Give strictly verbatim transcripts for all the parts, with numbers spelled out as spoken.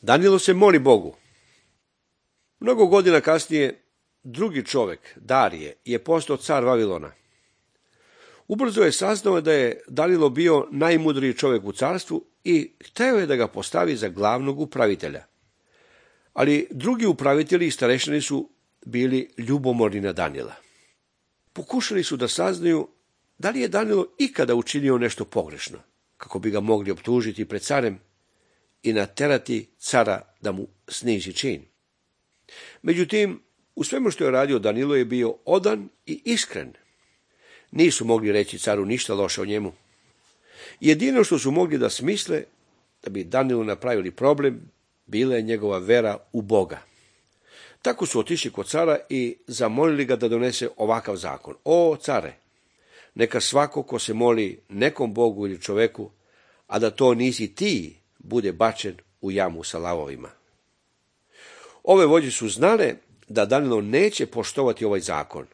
Danilo se moli Bogu. Mnogo godina kasnije drugi čovek, Darije, je postao car Vavilona. Ubrzo je saznao da je Danilo bio najmudriji čovek u carstvu i hteo je da ga postavi za glavnog upravitelja. Ali drugi upravitelji i starešini su bili ljubomorni na Danila. Pokušali su da saznaju da li je Danilo ikada učinio nešto pogrešno, kako bi ga mogli optužiti pred carem i naterati cara da mu snizi čin. Međutim, u svemu što je radio Danilo je bio odan i iskren. Nisu mogli reći caru ništa loše o njemu. Jedino što su mogli da smisle da bi Danilu napravili problem bila je njegova vera u Boga. Tako su otišli kod cara i zamolili ga da donese ovakav zakon. O, care, neka svako ko se moli nekom Bogu ili čoveku, a da to nisi ti, bude bačen u jamu sa lavovima. Ove vođe su znale da Danilo neće poštovati ovaj zakon,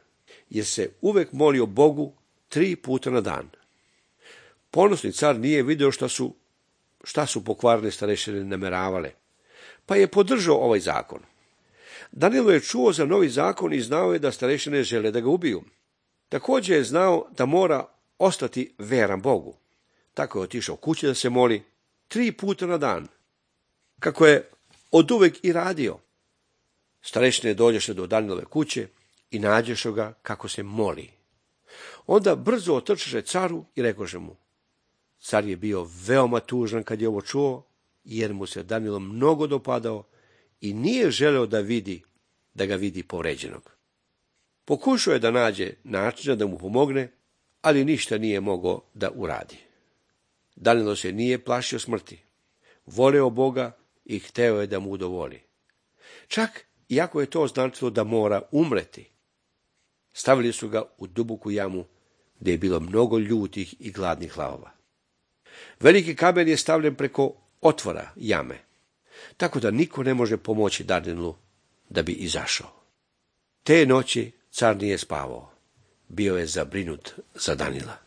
jer se uvek molio Bogu tri puta na dan. Ponosni car nije video šta su, šta su pokvarne starešine nameravale, pa je podržao ovaj zakon. Danilo je čuo za novi zakon i znao je da starešine žele da ga ubiju. Također je znao da mora ostati veran Bogu. Tako je otišao kući da se moli tri puta na dan, kako je oduvek i radio. Starešine dođeše do Danilove kuće i nađeše ga kako se moli. Onda brzo otrčeše caru i rekoše mu. Car je bio veoma tužan kad je ovo čuo, jer mu se Danilo mnogo dopadao i nije želeo da vidi, da ga vidi povređenog. Pokušao je da nađe načina da mu pomogne, ali ništa nije mogao da uradi. Danilo se nije plašio smrti. Voleo Boga i hteo je da mu udovolji. Čak iako je to značilo da mora umreti. Stavili su ga u duboku jamu gdje je bilo mnogo ljutih i gladnih lavova. Veliki kamen je stavljen preko otvora jame, tako da niko ne može pomoći Danilu da bi izašao. Te noći car nije spavao, bio je zabrinut za Danila.